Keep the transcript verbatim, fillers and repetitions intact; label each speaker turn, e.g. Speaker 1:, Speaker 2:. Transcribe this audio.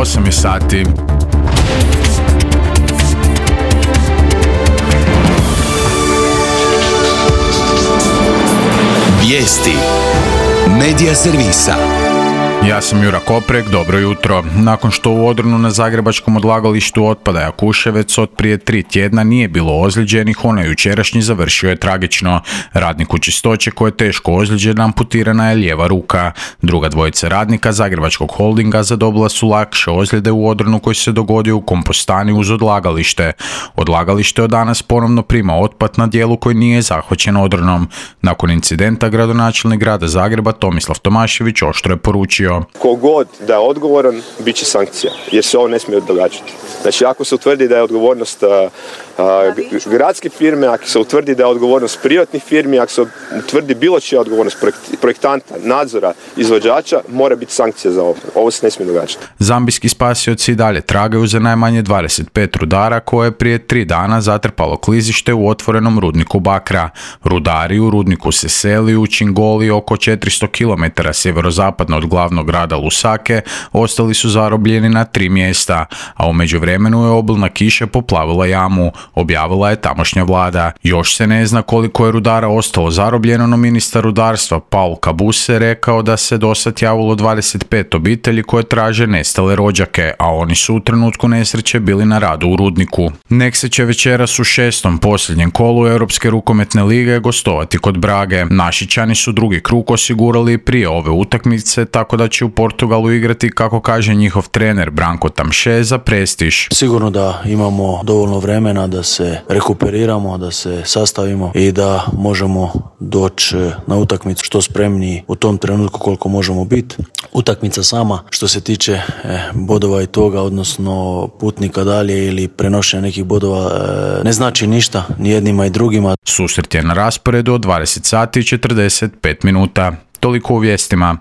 Speaker 1: osam je sati.
Speaker 2: Vijesti Medija servisa.
Speaker 1: Ja sam Jura Koprek, dobro jutro. Nakon što u Odronu na zagrebačkom odlagalištu otpada Jakuševec od prije tri tjedna nije bilo ozlijeđenih, onaj jučerašnji završio je tragično. Radniku čistoće koji je teško ozlijeđen, amputirana je lijeva ruka. Druga dvojica radnika zagrebačkog holdinga zadobila su lakše ozljede u Odronu koji se dogodio u kompostani uz odlagalište. Odlagalište od danas ponovno prima otpad na dijelu koji nije zahvaćen Odronom. Nakon incidenta gradonačelnik grada Zagreba Tomislav Tomašević oštro je poručio:
Speaker 3: Kogod da je odgovoran, bit će sankcija, jer se ovo ne smije događati. Znači, ako se utvrdi da je odgovornost a, a, gradske firme, ako se utvrdi da je odgovornost privatnih firmi, ako se utvrdi bilo čija odgovornost projektanta, nadzora, izvođača, mora biti sankcija za ovo. Ovo se ne smije događati.
Speaker 1: Zambijski spasioci dalje tragaju za najmanje dvadeset pet rudara koje je prije tri dana zatrpalo klizište u otvorenom rudniku bakra. Rudari u rudniku se seli u Čingoli oko četiristo kilometara sjeverozapadno od glavnog grada Lusake, ostali su zarobljeni na tri mjesta, a u međuvremenu je obilna kiša poplavila jamu, objavila je tamošnja vlada. Još se ne zna koliko je rudara ostalo zarobljeno, no ministar rudarstva Paul Kabuse rekao da se dosad javilo dvadeset pet obitelji koje traže nestale rođake, a oni su u trenutku nesreće bili na radu u rudniku. Nexe će večeras u šestom posljednjem kolu Europske rukometne lige gostovati kod Brage. Našičani su drugi krug osigurali prije ove utakmice, tako da će u Portugalu igrati, kako kaže njihov trener Branko Tamše, za prestiž.
Speaker 4: Sigurno da imamo dovoljno vremena da se rekuperiramo, da se sastavimo i da možemo doći na utakmicu što spremniji u tom trenutku koliko možemo biti. Utakmica sama, što se tiče eh, bodova i toga, odnosno putnika dalje ili prenošenja nekih bodova, eh, ne znači ništa ni jednima i drugima.
Speaker 1: Susret je na rasporedu od dvadeset sati i četrdeset pet minuta. Toliko u vijestima.